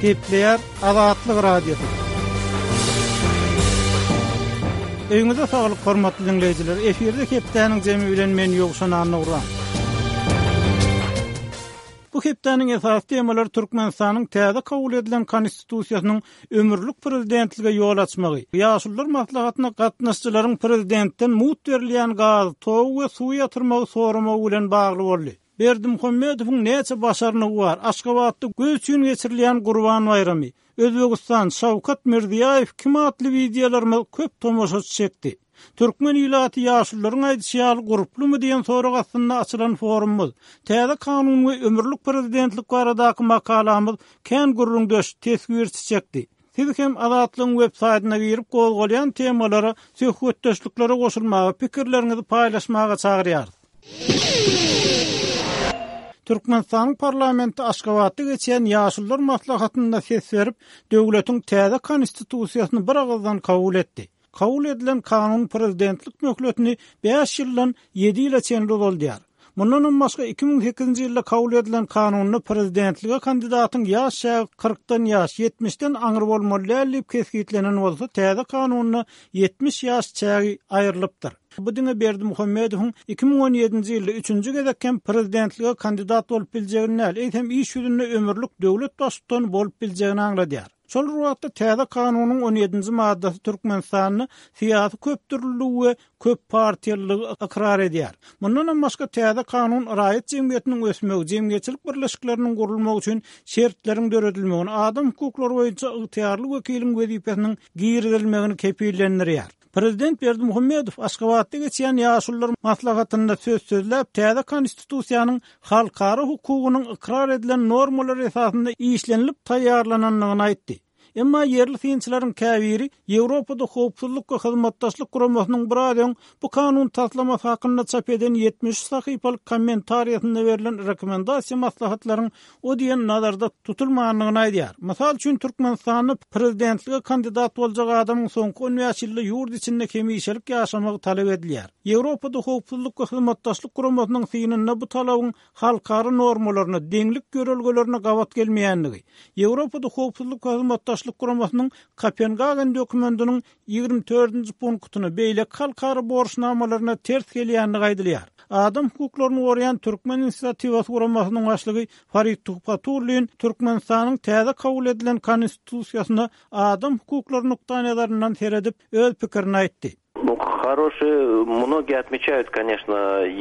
Gepleýär Azatlyk Radiosy. Öýüňize saglyk hormatly diňleýjiler. Efirde hepdäniň jemi bilen men Ýowşan Annagurban. Bu hepdäniň esasy temalary Türkmenistanyň täze kabul edilen Konstitusiýasynyň ömürlik prezidentlige ýol açmagy, Ýaşulular maslahatyna gatnaşyjylaryň prezidentden mugt berilýän gazy, togy we suwy ýatyrmagy soramagy bilen bagly boldy. Berdimuhamedowyň näçe başarnygy bar? Aşgabatda göz üçin geçirilýän Gurban baýramy, Özbegistan, Şawkat Mirziýaýew kim atly wideolarymyz köp tomaşaçy çekdi. Türkmen ilaty ýaşulularyň aýdyşy ýaly gurplumy diýen sorag astynda açylan forumymyz, täze kanun we ömürlik prezidentlik baradaky makalamyz kän gürrüňdeş, teswirçi çekdi. Siz hem Azatlygyň web saýtyna girip gozgalýan temalara, söhbetdeşliklere goşulmaga, pikirleriňizi paýlaşmaga çagyrýarys. Türkmenistanyň parlamenti Aşgabatda geçýän Ýaşulular maslahatynda ses berip, döwletiň täze Konstitusiýasyny biragyzdan kabul etdi. Kabul edilen kanun prezidentlik möhletini bäş ýyldan ýedi ýyla çenli uzaldýar. Mundanam başga 2008-nji ýylda kabul edilen kanunda prezidentlige kandidatyň ýaş çägi kyrkdan ýaş, ýetmişden aňry bolmaly däl diýip kesgitlenen bolsa, täze kanunda 70 ýaş çägi aýrylypdyr. Bu diňe Berdimuhamedowyň 2017-nji ýylda üçünji gezek hem prezidentlige kandidat bolup biljegini däl, eýsem iş ýüzünde ömürlik döwlet baştutany bolup biljegini aňladýar. Şol bir wagtda täze kanunyň on ýedinji maddasy Türkmenistanda syýasy köpdürlüligi we köp partiýalylygy ykrar edýär. Mundanam başga täze kanun raýat jemgyýetiniň ösmegi, jemgyýetçilik birleşikleriniň gurulmagy üçin şertleriň döredilmegini, adam hukuklary boýunça ygtyýarly wekiliň wezipesiniň girizilmegini kepillendirýär. Prezident Berdimuhamedow Aşgabatda geçýän Ýaşulular maslahatynda söz sözläp, täze Konstitusiýanyň halkara hukugynyň ykrar edilen normalary esasynda işlenilip taýýarlanandygyny aýtdy. Emma ýerli synçylaryň käbiri Ýewropada Howpsuzlyk we Hyzmatdaşlyk Guramasynyň biraz öň bu kanun taslamasy hakynda çap eden 73 sahypalyk kommentariýasynda berlen rekomendasiýa maslahatlaryň o diýen nazarda tutulmandygyny aýdýar. Mysal üçin, Türkmenistanda prezidentlige kandidat boljak adamyň soňky on bäş ýylda ýurt içinde hemişelik ýaşamagy talap edilýär. Ýewropada Howpsuzlyk we Hyzmatdaşlyk Guramasynyň synynda bu talabyň halkara normalaryna, deňlik ýörelgelerine gabat gelmeýändigi, Ýewropada Howpsuzlyk we Hyzmatdaşlyk Guramasynyň Kopengagen dokumentiniň 24-nji punktyna, beýleki halkara borçnamalaryna ters gelýändigi aýdylýar. Adam hukuklaryny goraýan Türkmen inisiatiwasy guramasynyň başlygy Farid Tuhbatullin Türkmenistanyň täze kabul edilen Konstitusiýasyna adam hukuklary nukdaýnazaryndan seredip, öz pikirini aýtdy. Nu, хорошие, многие отмечают, конечно,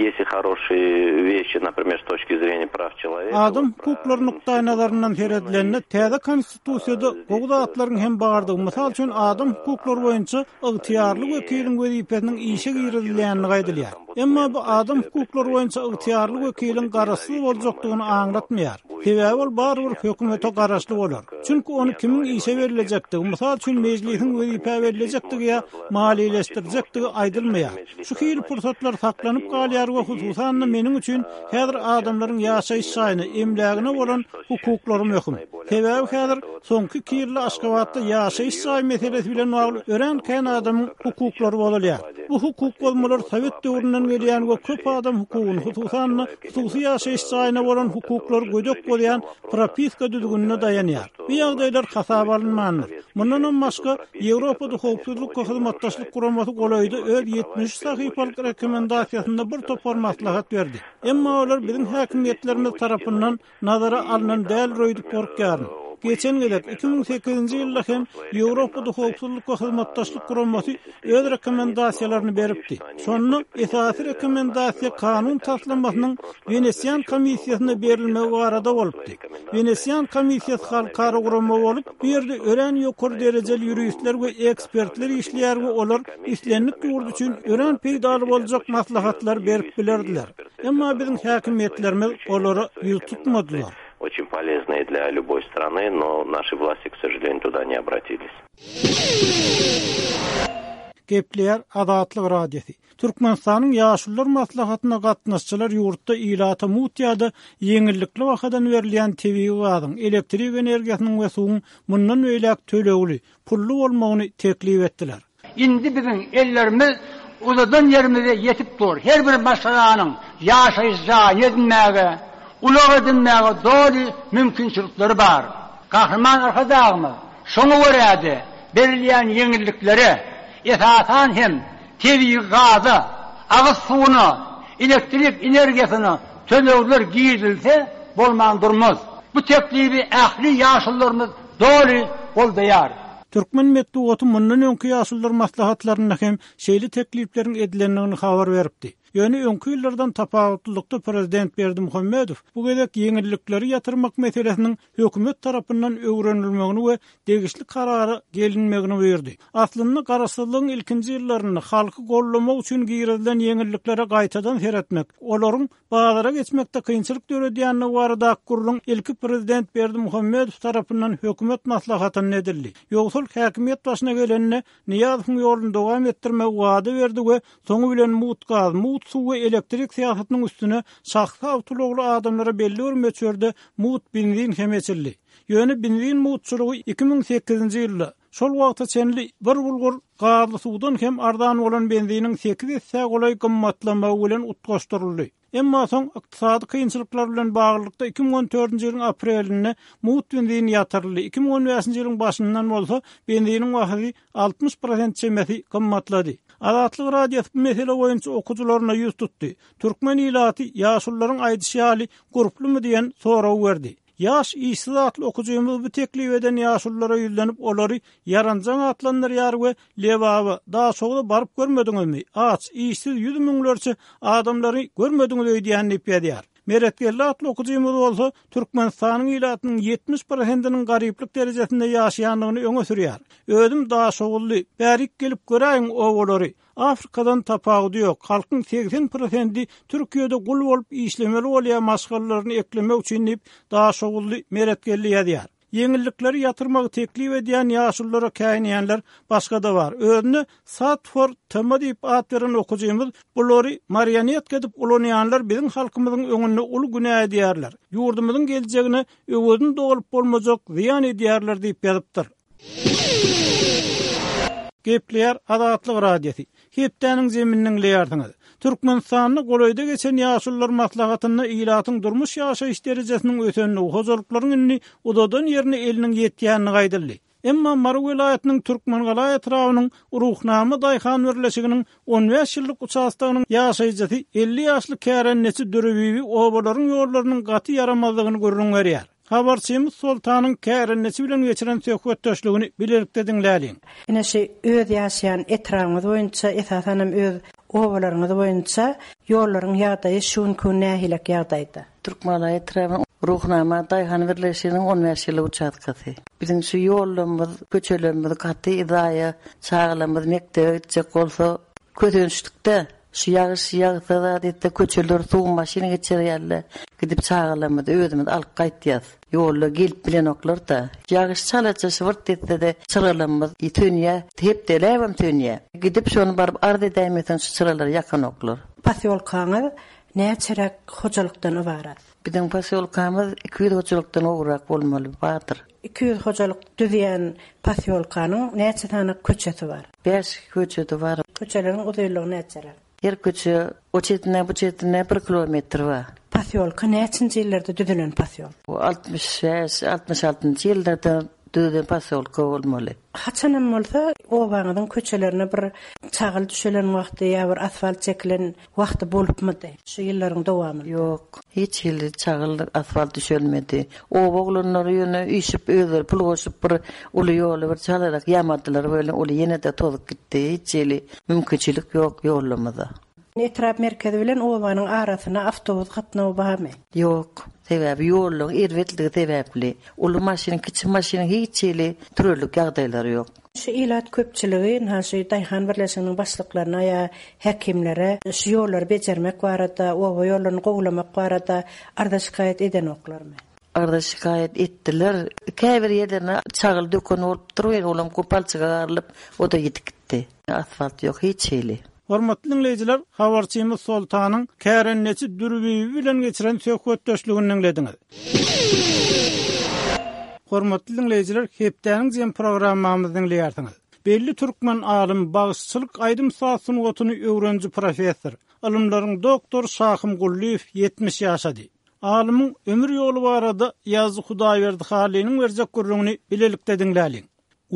есть и хорошие вещи, например, с точки зрения прав человека. Adam hukuklary nukdaýnazaryndan seredilende, täze Konstitusiýada gowy zatlaryň hem bardygy, mysal üçin, adam hukuklary boýunça ygtyýarly wekiliň wezipesiniň işe girizilýändigi aýdylýar. Emma bu adam hukuklary boýunça ygtyýarly wekiliň garaşsyz boljakdygyny aňlatmaýar. Sebäbi ol barybir hökümete garaşly bolar. Çünki ony kimiň işe bellejekdigi, mysal üçin, Mejlisiň wezipä bellejekdigi ýa maliýeleşdirjekdigi aýdylmaýar. Şu hili pursatlar saklanyp galýar we hususan-da meniň üçin häzir adamlaryň ýaşaýyş jaýyna, emlägine bolan hukuklary möhüm. Sebäbi häzir soňky iki ýylda Aşgabatda ýaşaýyş jaý meselesi bilen bagly örän kän adamyň hukuklary bozulýar. Bu hukuk bozmalar sowet döwründen gelýän we köp adam hukugyny, hususan-da hususy ýaşaýyş jaýyna bolan hukuklary gödek bozýan propiska düzgünine daýanýar. Bu ýagdaýlar hasaba alynmandyr. Mundanam başga, Ýewropada Howpsuzlyk we Hyzmatdaşlyk Guramasy golaýda öz 73 sahypalyk rekomendasiýasynda bir topar maslahat berdi. Emma olar biziň häkimiýetlerimiz tarapyndan nazara alnan däldir öýdüp gorkýaryn. Geçen gezek, 2008-nji ýylda hem Ýewropada Howpsuzlyk we Hyzmatdaşlyk Guramasy öz rekomendasiýalaryny beripdi. Şonda esasy rekomendasiýa kanun taslamasynyň Wenesian komissiýasyna berilmegi barada bolupdy. Wenesian komissiýasy halkara gurama bolup, bu ýerde örän ýokary derejeli ýuristler we ekspertler işleýär we olar islendik ýurt üçin örän peýdaly boljak maslahatlary berip bilerdiler. Emma biziň häkimiýetlerimiz olara ýüz tutmadylar. Очень полезные для любой страны, но наши власти, к сожалению, туда не обратились. Gepleýär Azatlyk Radiosy. Türkmenistanyň Ýaşulular maslahatyna gatnaşyjylar ýurtda ilata mugt ýa-da ýeňillikli bahadan berilýän tebigy gazyň, elektrik energiýasynyň we suwuň mundan beýläk tölegli, pully bolmagyny teklip etdiler. Indi biziň ellerimiz uzadan ýerimize ýetip dur. Her bir maşgalanyň ýaşaýyş jaýyny edinmäge, ulag edinmäge doly mümkinçilikleri bar. Gahryman Arkadagymyz şoňa görä-de, berilýän ýeňilliklere, esasan hem, tebigy gaza, agyz suwuna, elektrik energiýasyna tölegler girizilse bolman durmaz. Bu teklibi ähli ýaşulularymyz doly goldaýar. Türkmen metbugaty mundan öňki ýaşulular maslahatlarynda hem şeýle teklipleriň edilendigini habar beripdi. Ýöne öňki ýyllardan tapawutlylykda prezident Berdimuhamedow bu gezek ýeňillikleri ýatyrmak meselesiniň hökümet tarapyndan öwrenilmegini we degişli karara gelinmegini buýurdy. Aslynda garaşsyzlygyň ilkinji ýyllarynda halky goldamak üçin girizilen ýeňilliklere gaýtadan seretmek, olaryň bazara geçmekde kynçylyk döredýändigi baradaky gürrüň ilki prezident Berdimuhamedow tarapyndan hökümet maslahatynda edildi. Ýogsal häkimiýet başyna gelende Nyýazowyň ýoluny dowam etdirmegi wada berdi we soňy bilen mugt gaz, mugt suw we elektrik syýasatynyň üstüne şahsy awtoulagly adamlara belli bir möçberde mugt benzin hem eçildi. Ýöne benzin mugtçulygy 2008-nji ýylda, şol wagta çenli bir bulgur gazly suwdan hem arzan bolan benziniň sekiz essä golaý gymmatlamagy bilen utgaşdyryldy. Emma soň ykdysady kynçylyklar bilen baglylykda 2014-nji ýylyň aprelinde mugt benzin ýatyryldy, 2015-nji ýylyň başyndan bolsa benziniň bahasy 60 prosent çemesi gymmatlady. Azatlyk Radiosy bu mesele boýunça okyjylaryna ýüz tutdy. Türkmen ilaty ýaşulularyň aýdyşy ýaly gurplumy diýen soragy berdi. Ýaş işsiz atly okyjymyz bu teklip eden ýaşululara ýüzlenip olary ýaranjaň atlandyrýar we Lebaba, Daşogza baryp görmediňizmi? Aç, işsiz ýüz müňlerçe adamlary görmediňiz öýdýän diýip ýazýar. Meretgeldi atly okyjymyz bolsa Türkmenistanyň ilatynyň 70 prosentiniň garyplyk derejesinde ýaşaýandygyny öňe sürýär. Özüm daşoguzly, bärik gelip göräýiň obalary. Afrikadan tapawudy ýok, halkyň 80 prosendi Türkiýede gul bolup işlemeli bolýar maşgalalaryny eklemek üçin diýip, daşoguzly Meretgeldi ýazýar. Ýeňillikleri ýatyrmagy teklip edýän ýaşululara käýinýänler başga-da bar. Özüne Satfor TM diýip at beren okyjymyz bulary marionetka edip ulanýanlar biziň halkymyzyň öňünde uly günä edýärler. Ýurdumyzyň geljegine öwezini dolup bolmajak zyýan edýärler diýip ýazypdyr. Gepleýär Azatlyk Radiosy. Hepdäniň zemini diňleýärsiňiz. Türkmenistanda golaýda geçen Ýaşulular maslahatynda ilatyň durmuş-ýaşaýyş derejesiniň ösendigi, hojalyklaryň indi uzadan ýerine eliniň ýetýändigi aýdyldy. Emma Mary welaýatynyň Türkmengala etrabynyň Ruhnama daýhan birleşiginiň 15 ýyllyk uçastogynyň ýaşaýjysy 50 ýaşly kärendeçi Dürübibi obalaryň ýollarynyň gaty ýaramazdygyny gürrüň berýär. Habarçymyz Soltanyň kärendeçi bilen geçiren söhbetdeşligini bilelikde diňläliň. Ine şu öz ýaşaýan etrabyňyz boýunça, esasanam öz obalaryňyz boýunça ýollaryň ýagdaýy şu günki gün nähilek ýagdaýda? Türkmengala etrabynyň Ruhnama daýhan birleşiginiň 15 ýyllyk uçastkasy. Biziň şu ýollarymyz, köçelerimiz gaty zaýa, çagalarymyz mekdebe gitjek bolsa kösençlikde. Şu ýagyş ýagsa zat etse köçeler suw maşyn geçer ýaly gidip çagalarymyzy özümiz alyp gaýtýas. Ýolda gelip bilenoklarda. Ýagyş çalaja şybyrt etsede çyralarymyz sönýä, hepdeläbem sönýä. Gidip şony baryp arz edäýmeseň şu çyralary ýakanoklar. Posýolkaňyz näçeräk hojalykdan ybarat? Biziň posýolkamyz 200 hojalykdan gowrak bolmaly bardyr. 200 hojalyk düzýän posýolkanyň näçe sany köçesi bar? Bäş köçesi bar. Köçeleriň uzynlygy näçeräk? Her köçe o çetine bu çetine bir kilometr bar. Posýolka näçinji ýyllarda düzülen posýolka? 65, 66-njy ýyllarda düzülen posýolka bolmaly. Haçanam bolsa obaňyzyň köçelerine bir çagyl düşelen wagty ýa bir asfalt çekilen wagty bolupmydy şu ýyllaryň dowamynda? Ýok. Hiç hili çagyl, asfalt düşelmedi. Oba oglanlary ýöne üýşüp özleri pul goşup bir uly ýoly bir çalarak ýamadylar welin uly ýene-de tozup gitdi. Hiç hili mümkinçilik ýok ýollamyza. Etrap merkezi bilen obanyň arasyna awtobus gatnawy barmy? Ýok. Sebäbi ýollaryň erbetligi sebäpli uly maşynyň, kiçi maşynyň hiç hili sürerlik ýagdaýlary ýok. Şu ilat köpçüligi ynha şu daýhan birleşiginiň başlyklaryna ýa häkimlere şu ýollary bejermek barada, oba ýollaryny gowulamak barada arza-şikaýat edenoklarmy? Arza-şikaýat etdiler. Käbir ýerlerine çagyl döken bolupdyr welin, olam palçyga garylyp, o-da ýitip gitdi. Asfalt ýok hiç hili. Hormatly diňleýjiler, habarçymyz Soltanyň kärendeçi Dürbibi bilen geçiren söhbetdeşligini diňlediňiz. Hormatly diňleýjiler, hepdäniň jem programmamyzy diňleýärsiňiz. Belli türkmen alymy, bagşyçylyk aýdym-saz sungatyny öwreniji professor, ylymlaryň doktory Şahym Gullyýew 70 ýaşady. Alymyň ömür ýoly barada ýazyjy Hudaýberdi Hallynyň berjek gürrüňini bilelikde diňläliň.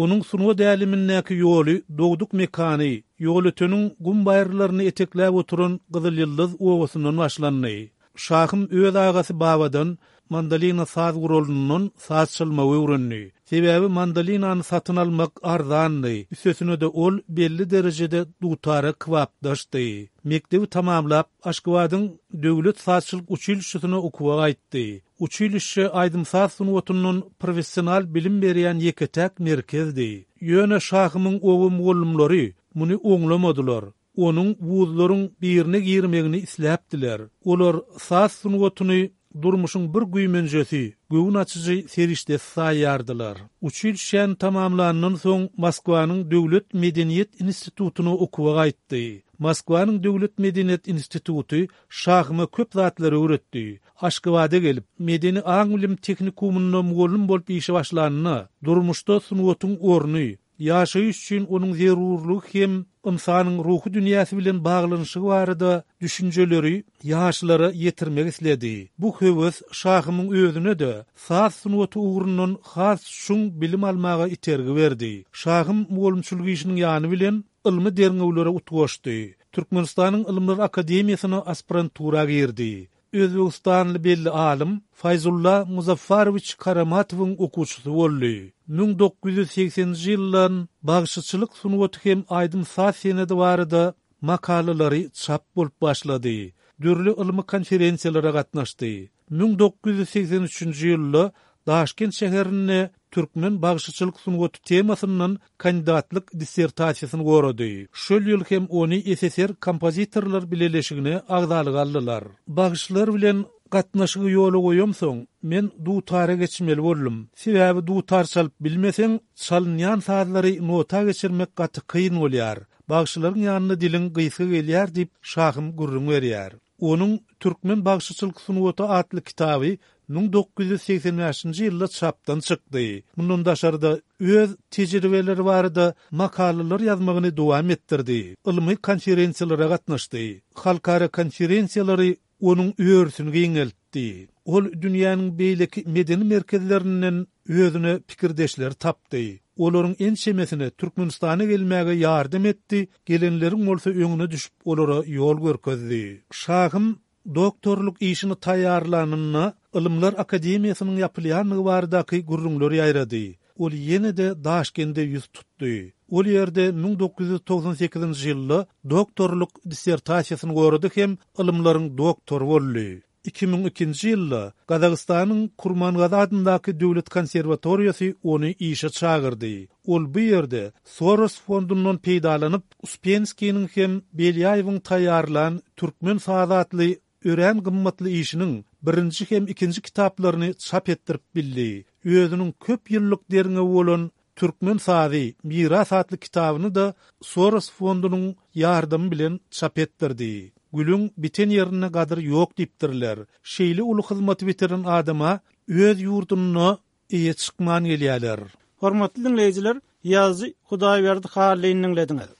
Onuň sungat älemindäki ýoly dogduk mekany, Ýolöteniň gum baýyrlaryny etekläp oturan Gyzylýyldyz obasyndan başlandy. Şahym öz agasy Babadan mandolina saz guralyndan saz çalmagy öwrendi. Sebäbi mandolinany satyn almak arzandy, üstesine-de ol belli derejede dutara kybapdaşdy. Mekdebi tamamlap, Aşgabadyň döwlet sazçylyk uçilişşesine okuwa gaýtdy. Uçilişşe aýdym-saz sungatyndan professional bilim berýän ýeke-täk merkezdi. Ýöne Şahymyň oba mugallymlary muny oňlamadylar. Onuň wuzlaryň birine girmegini isläpdiler. Olar saz sungatyny durmuşyň bir güýmenjesi, göwün açyjy serişdesi saýýardylar. Uçilişşäni tamamlandan soň Moskwanyň döwlet medeniýet institutyna okuwa gaýtdy. Moskwanyň döwlet medeniýet instituty Şahyma köp zatlary öwretdi. Aşgabada gelip, medeni aň-bilim tehnikumynda mugallym bolup işe başlanda, durmuşda sungatyň orny, ýaşaýyş üçin onuň zerurlygy hem ynsanyň ruhy dünýäsi bilen baglanyşygy barada düşünjeleri ýaşlara ýetirmek isledi. Bu höwes Şahymyň özüne-de saz sungaty ugrundan has çuň bilim almaga itergi berdi. Şahym mugallymçylyk işiniň ýany bilen ylmy derňewlere utgaşdy. Türkmenistanyň Ylymlar akademiýasyna aspirantura girdi. Özbegistanly belli alym Faýzulla Muzaffarowiç Karamatowyň okuwçysy boldy. 1980-nji ýyldan bagşyçylyk sungaty hem aýdym-saz senedi barada makalalary çap bolup başlady. Dürli ylmy konferensiýalara gatnaşdy. 1983-nji ýylda Daşkent şäherinde Türkmen bagşyçylyk sungaty temasyndan kandidatlyk dissertasiýasyny gorady. Şol ýyl hem ony SSR Kompozitorlar bileleşigine agzalyga aldylar. Bagşylar bilen gatnaşygy ýola goýamsoň, men dutara geçmeli boldum. Sebäbi dutar çalyp bilmeseň, çalynýan sazlary nota geçirmek gaty kyn bolýar. Bagşylaryň ýanynda diliň gysga gelýär diýip, Şahym gürrüň berýär. Onuň Türkmen bagşyçylyk sungaty atly kitaby 1985-nji ýylda çapdan çykdy. Mundan daşary-da, öz tejribeleri barada makalalar ýazmagyny dowam etdirdi, ylmy konferensiýalara gatnaşdy. Halkara konferensiýalary onuň örüsini giňeltdi. Ol dünýäniň beýleki medeni merkezlerinden özüne pikirdeşleri tapdy. Olaryň ençemesine Türkmenistana gelmäge ýardam etdi, gelenleriň bolsa öňüne düşüp olara ýol görkezdi. Şahym doktorlyk işini taýýarlanynda Ylymlar akademiýasynyň ýapylýandygy baradaky gürrüňler ýaýrady. Ol ýene-de Daşkende ýüz tutdy. Ol ýerde 1998-nji ýylda doktorlyk dissertasiýasyny gorady hem ylymlaryň doktory boldy. 2002-nji ýylda Gazagystanyň Kurmangazy adyndaky döwlet konserwatoriýasy ony işe çagyrdy. Ol bu ýerde Soros fondundan peýdalanyp, Uspenskiniň hem Belýaýewiň taýýarlan Türkmen sazy atly örän gymmatly işiniň birinji hem ikinji kitaplaryny çap etdirip bildi. Özüniň köp ýyllyk derňewi bolan Türkmen sazy, miras atly kitabyny-da Soros fondunyň ýardamy bilen çap etdirdi. Gülüň biten ýerinde gadyr ýok diýipdirler. Şeýle uly hyzmaty bitiren adama öz ýurdunda eýe çykman gelýärler. Hormatly diňleýjiler, ýazyjy Hudaýberdi Hallyny diňlediňiz.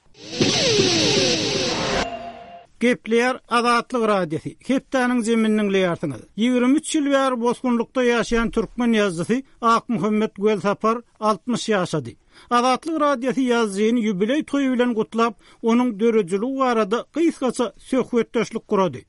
Gepleýär Azatlyk Radiosy, hepdäniň jemini diňleýärsiňiz. 23 ýyl bäri bosgunlykda ýaşaýan türkmen ýazyjysy Akmuhammet Welsapar 60 ýaşady. Azatlyk Radiosy ýazyjyny ýubileý toýy bilen gutlap, onuň döredijiligi barada gysgaça söhbetdeşlik gurady.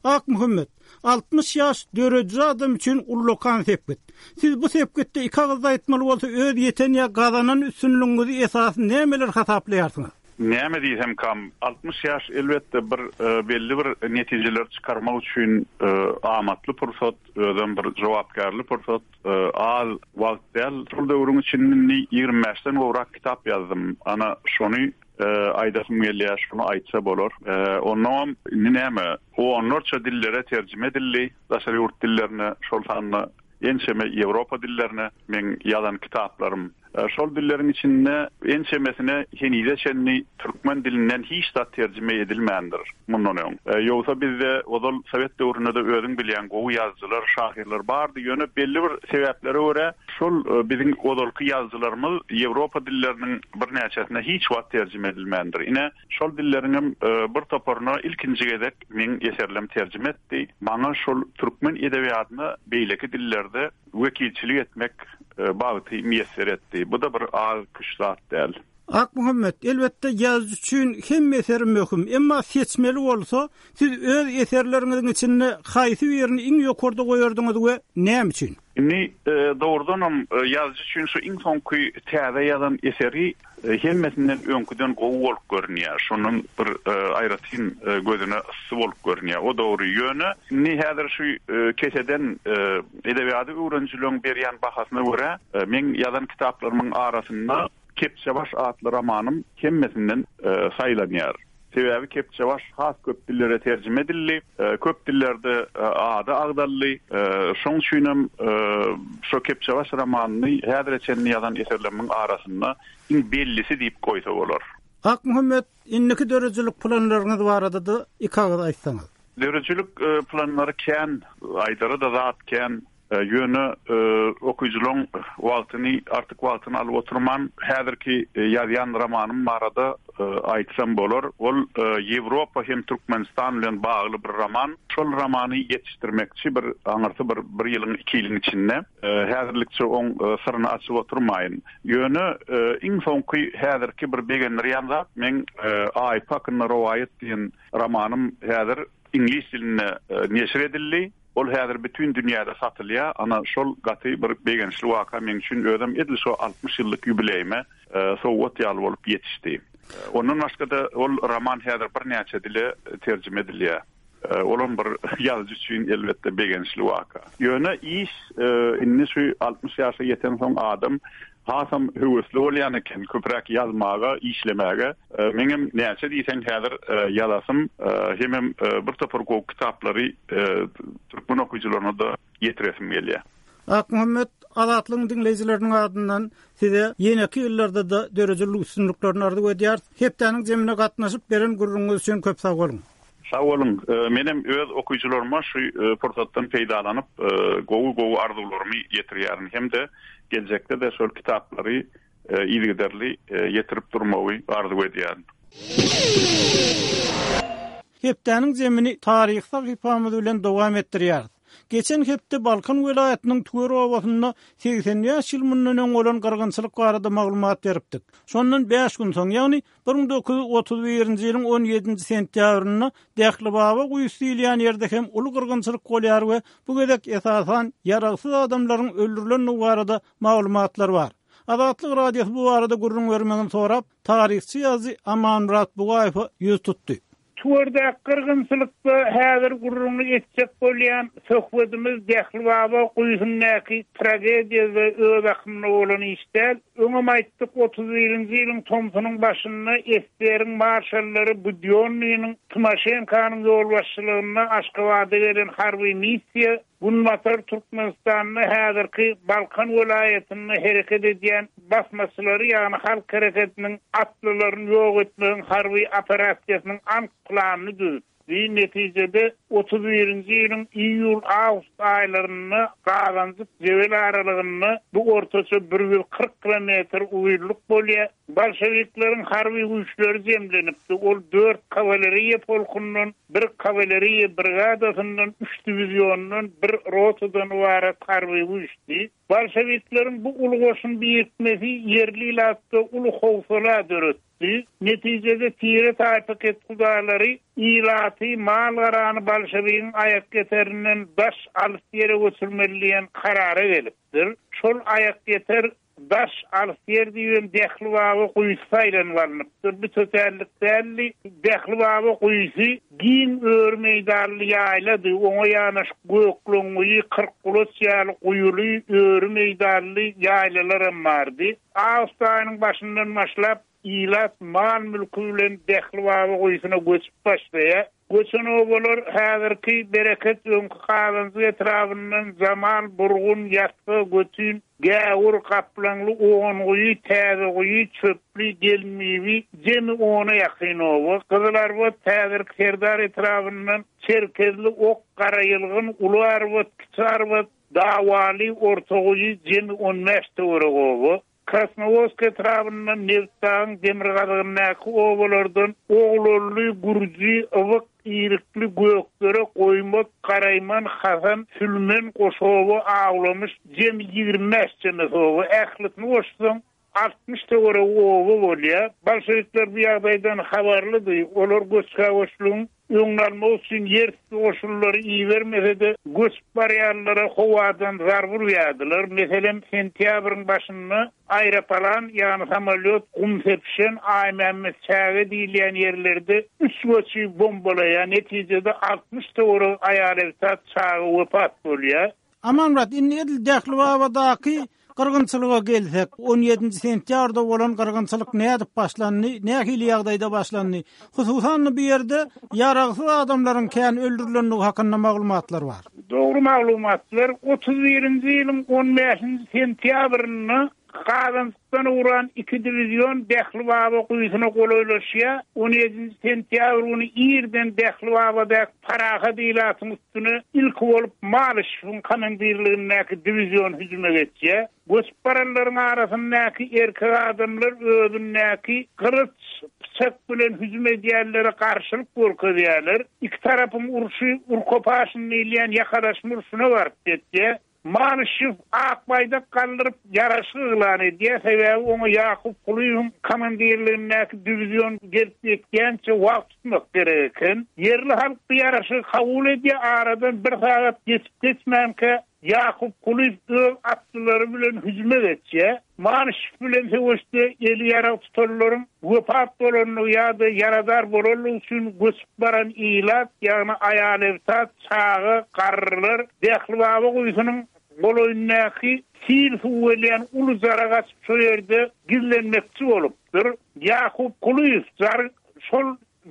Akmuhammet, 60 ýaş dörediji adam üçin ullakan sepgit. Siz bu sepgitde iki agyzda aýtmaly bolsa öz ýeten ýa gazanan üstünligiňizi esasy nämeler hasaplaýarsyňyz? Näme diýsemkam, 60 ýaş elbetde bir belli bir netijeleri çykarmak üçin amatly pursat, özem bir jogapkärli pursat, az wagt däl. Şol döwrüň içinde indi 25-den gowrak kitap ýazdym. Ana şony Aýdasym gelýär, şuny aýtsa bolar. Onnoňam indi näme, onlarça dillere terjime edildi, daşary ýurt dillerine, şol sanda ençeme ýewropa dillerine meň ýazan kitaplarym. Şol dilleriň içinde ençemesine henize çenli türkmen dilinden hiç zat terjime edilmändir mundan öň. Ýogsa bizde ozal sowet döwründe-de özüň bilýäň gowy ýazyjylar, şahyrlar bardy, ýöne belli bir sebäplere görä şol biziň ozalky ýazyjylarymyz ýewropa dilleriniň birnäçesine hiç wagt terjime edilmändir. Ine, şol dilleriňem bir toparyna ilkinji gezek meň eserlem terjime etdi. Maňa şol türkmen edebiýatyna beýleki dillerde wekilçilik etmek bagty miýesser etdi. Bu-da bir az-küş zat däl. Akmuhammet, elbetde, ýazyjy üçin hemme eseri möhüm. Emma seçmeli bolsa, siz öz eserleriňiziň içinde haýsy birini iň ýokarda goýardyňyz we näme üçin? Indi, dogrudanam, ýazyjy üçin şu iň soňky täze ýazan eseri Hemmesinden öňküden gowy bolup görünýär. Şondan bir aýratyn gözüne yssy bolup görünýär. O dogry. Ýöne indi häzir şu keseden edebiýady öwrenijileriň berýän bahasyna görä, meň ýazan kitaplarymyň arasynda Kepjebaş atly romanym hemmesinden saýlanýar. Sebäbi Kepjebaş has köp dillere terjime edildi, köp dillerde ady agzaldy. Şoň üçinem şo Kepjebaş romanyny häzire çenli ýazan eserlerimiň arasynda iň bellisi diýip goýsa bolar. Akmuhammet, indiki döredijilik planlaryňyz barada-da iki agyz aýtsaňyz. Döredijilik planlary kän, aýdara-da zat kän. Ýöne okyjylaryň wagtyny, artyk wagtyny alyp oturman, häzirki ýazýan romanym barada aýtsam bolar. Ol Ýewropa hem Türkmenistan bilen bagly bir roman. Şol romany ýetişdirmekçi bir aňyrsy bir bir ýylyň, iki ýylyň içinde. Häzirlikçe oň syryny açyp oturmaýyn. Ýöne iň soňky häzirki bir begendirýän zat meň Aýpy hakynda rowaýat diýen romanym häzir iňlis dilinde neşir edildi. Ol häzir bütin dünýäde satylýar. Ana, şol gaty bir begençli waka meň üçin. Özem edil şo 60 ýyllyk ýubileýime sowgat ýaly bolup ýetişdi. Ondan başga-da ol roman häzir birnäçe dile terjime edilýär. Olam bir ýazyjy üçin elbetde begençli waka. Ýöne iş indi şu 60 ýaşa ýetensoň adam hasam höwesli bolýan eken, köpräk ýazmaga, işlemäge. Meňem näçe diýseň häzir ýazasym hemem bir topar gowy kitaplary türkmen okyjylaryna-da ýetiresim gelýär. Akmuhammet, Azatlygyň diňleýjileriniň adyndan Size ýeneki ýyllarda-da döredijilik üstünliklerini arzuw edýäris. Hepdäniň jemine gatnaşyp, beren gürrüňiňiz üçin köp sag boluň! Sag boluň. Menem öz okyjylaryma şu pursatdan peýdalanyp, gowy-gowy arzuwlarymy ýetirýärin hem-de geljekde-de şol kitaplary yzygiderli ýetirip durmagy arzuw edýärin. Hepdäniň zemini taryhy sahypamyz bilen dowam etdirýäris. Geçen hepde Balkan welaýatynyň Tüwer obasynda 85 ýyl mundan öň bolan gyrgynçylyk barada maglumat beripdik. Şondan bäş gün soň, ýagny 1931-nji ýylyň on ýedinji sentýabrynda Dählibaba guýusy diýilýän ýerde hem uly gyrgynçylyk bolýar we bu gezek esasan ýaragsyz adamlaryň öldürilendigi barada maglumatlar bar. Azatlyk Radiosy bu barada gürrüň bermegini sorap, taryhçy ýazyjy Amanmyrat Bugaýewe ýüz tutdy. Tüwerdäki gyrgynçylykda häzir gürrüňini etjek bolýan söhbedimiz Dählibaba guýusyndaky tragediýa we öz akymyna bolan iş däl. Öňem aýtdyk, otuz birinji ýylyň tomsunyň başynda SSR-iň marşallary Budýonnynyň, Timoşenkonyň ýolbaşçylygynda Aşgabada gelen harby missiýa Günbatar Türkmenistanda häzirki Balkan welaýatynda hereket edýän basmaçylary, ýagny halk hereketiniň atlylaryny ýok etmegiň harby operasiýasynyň anyk planyny düzüpdi. Netijede, otuz birinji ýylyň iýul-awgust aýlarynda Gazanjyk-Jebel aralygynda bu ortaça bir 140 kilometr uzynlyk bolýar, Bolşewikleriň harby güýçleri jemlenipdi, ol dört kawaleriýa polkundan, bir kawaleriýa brigadasyndan, üç diwiziondan, bir rotadan ybarat harby güýçdi. Bolşewikleriň bu uly goşun birikmesi ýerli ilatda uly howsala döretdi. Netijede tire-taýpa kethudalary ilaty, mal-garany bolşewigiň aýakýeterinden daş, alys ýere göçürmeli diýen karara gelipdir. Şol aýakýeter Daş alys ýer diýibem Dähli baba guýusy saýlanyp alnypdyr. Bu tötänlik däldi. Dähli baba guýusy giň öri meýdanly ýaýlady. Oňa ýanaşyk Gökleňguýy, Kyrkgulaç ýaly guýuly, öri meýdanly ýaýlalaram bardy. Awgust aýynyň başyndan başlap, ilat mal-mülki bilen Dähli baba guýusyna göçüp başlaýar. Göçen obalar häzirki Bereket öňki Gazanjyk etrabyndan Jamal, Burgun, Ýasga, Götün, Gäwür, Gaplaňly, Onguýy, Täzeguýy, Çöpli, Gelinbibi, jemi ona ýakyn oba. Gyzylarbat häzirki Serdar etrabyndan Çerkezli, Ok, Garaýylgyn, Uly Arbat, Kiçi Arbat, Dawaly, Ortaguýy, jemi on bäş töweregi oba. Krasnowodsk etrabyndan Nebitdagyň demirgazygyndaky obalardan Oglanly, Gürji, Ybyk, Irikli, Gökdere, Goýmat, Garaýman, Hasan, Sülmen, Goşoba, Awlamyş, jemi 25 çemesi oba, ählisini goşsaň, 60 töweregi oba bolýar. Bolşewikler bu ýagdaýdan habarlydy. Olar göçhä-göçlügiň Öňüni almak üçin ýer üsti goşunlary ibermese-de, göçüp barýanlara howadan zarba urýardylar. Meselem, sentýabryň başynda aeropalan, ýagny samolýot gum sepişen Aýmämmet çäge diýilýän ýerlerde üç göçi bombalaýar. Netijede 60 töweregi aýal-ebtat, çaga wepat bolýar. Amanmyrat, indi edil Dählibabadaky gyrgynçylyga gelsek, on ýedinji sentýabrda bolan gyrgynçylyk nädip başlandy, nähili ýagdaýda başlandy? Hususan-da bu ýerde ýaragsyz adamlaryň kän öldürilendigi hakynda maglumatlar bar. Dogry maglumatlar, 31-nji ýylyň on bäşinji sentýabrynda Gazanjykdan ugran iki diwizion Dählibaba guýusyna golaýlaşýar. On ýedinji sentýabr güni irden Dählibabadaky parahat ilatyň üstüne ilki bolup Malyşewiň komandirligindäki diwizion hüjüme geçýär. Göçüp baranlaryň arasyndaky erkek adamlar özündäki gylyç, pyçak bilen hüjüm edýänlere garşylyk görkezýärler. Iki tarapyň urşy urkopaşyn diýilýän ýakalaşma urşuna baryp ýetýär. Malyşew ak baýdak galdyryp, ýaraşyk yglan edýär, sebäbi oňa Ýakup Kulyýewiň komandirligindäki diwizion gelip ýetýänçä wagt tutmak gerek eken. Ýerli halk bu ýaraşygy kabul edýär, aradan bir sagat geçip-geçmänkä Ýakup Kulyýew öz atlylary bilen hüjüme geçýär. Malyşew bilen söweşde eli ýarag tutanlaryň wepat bolandygy ýa-da ýaradar bolandygy üçin göçüp baran ilat, ýagny aýal-ebtat, çaga, garrylar Dählibaba guýusynyň golaýyndaky sil suwy gelýän uly jara gaçyp şo ýerde gizlenmekçi bolupdyr. Ýakup Kulyýew jary şol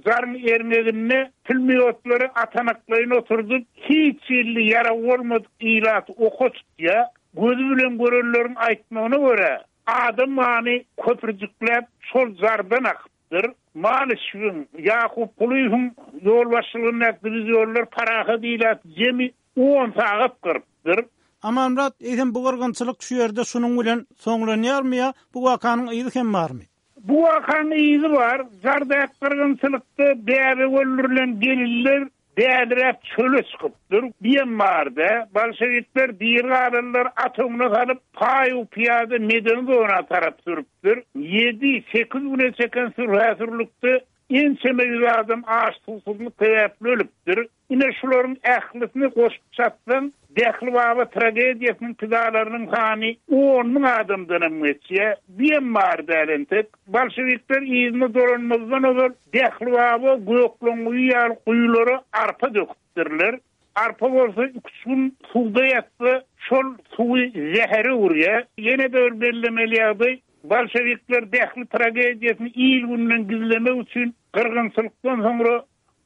jaryň erňeginde pulmýotlary atanaklaýyn oturdyp, hiç hili ýaragy bolmadyk ilaty oka tutýar. Gözi bilen görenleriň aýtmagyna görä, adam gany köpürjikläp şol jardan akypdyr. Malyşewiň, Ýakup Kulyýewiň ýolbaşçylygyndaky diwizionlar parahat ilaty jemi on sagat gyrypdyr. Amanmyrat, eýsem bu gyrgynçylyk şu ýerde şunuň bilen soňlanýarmy ýa bu wakanyň yzy hem barmy? Bu wakanyň yzy bar. Jardak gyrgynçylykda bäbek öldürilen gelinler däliräp çöle çykypdyr. Diýen bardy. Bolşewikler diri galanlary at öňüne salyp, paý-u-pyýada medeni zona tarap sürüpdir. Ýedi, sekiz güne çeken sürhä-sürlükde ençeme ýüz adam aç-suwsuzlyk sebäpli ölüpdir. Ine, şularyň ählisini goşup çatsaň, Dähli baba tragediýasynyň pidalarynyň sany on müň adamdanam geçýär. Biýem bar däl entek. Bolşewikler yzyna dolanmazdan ozal Dähli baba, Gökleňguýy ýaly guýulara arpa döküpdirler. Arpa bolsa iki-üç gün suwda ýatsa, şol suwy zähere öwürýär. Ýene-de bir bellemeli ýagdaý, bolşewikler Dähli tragediýasyny il-günden gizlemek üçin gyrgynçylykdan soňra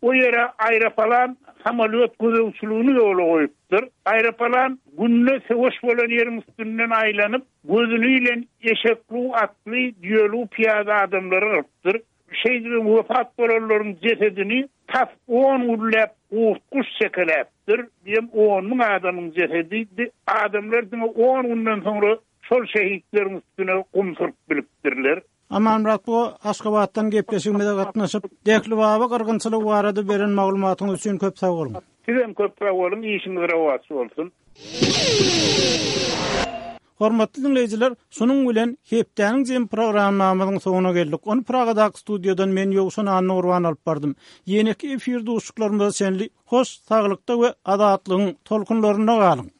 O ýere aeropalan samolýot gözegçiligini ýola goýupdyr. Aeropalan günde söweş bolan ýeriň üstünden aýlanyp, gözüni ilen eşeklu atly, düýelu pyýada adamlary gyrypdyr. Şeýdibem wepat bolanlaryň jesedini tas on günläp gurt-guş çekeläpdir. Diýem on müň adamyň jesedidi. Adamlar diňe on günden soňra şol şehitleriň üstüne gum sürüp bilipdirler. Amanmyrat bu Aşgabatdan gepleşigimize gatnaşyp, Dähli baba gyrgynçylygy barada beren maglumatyňyz üçin köp sag boluň. Sizem köp sag boluň, işiňiz rowaç bolsun. Hormatly diňleýjiler, şunuň bilen hepdäniň jemi programmamyzyň soňuna geldik. Ony Pragadaky studiýadan men Ýowşan Annagurban alyp bardym. Ýeneki efir duşuşyklarymyza çenli hoş saglykda we azatlygyň tolkunlarynda galyň!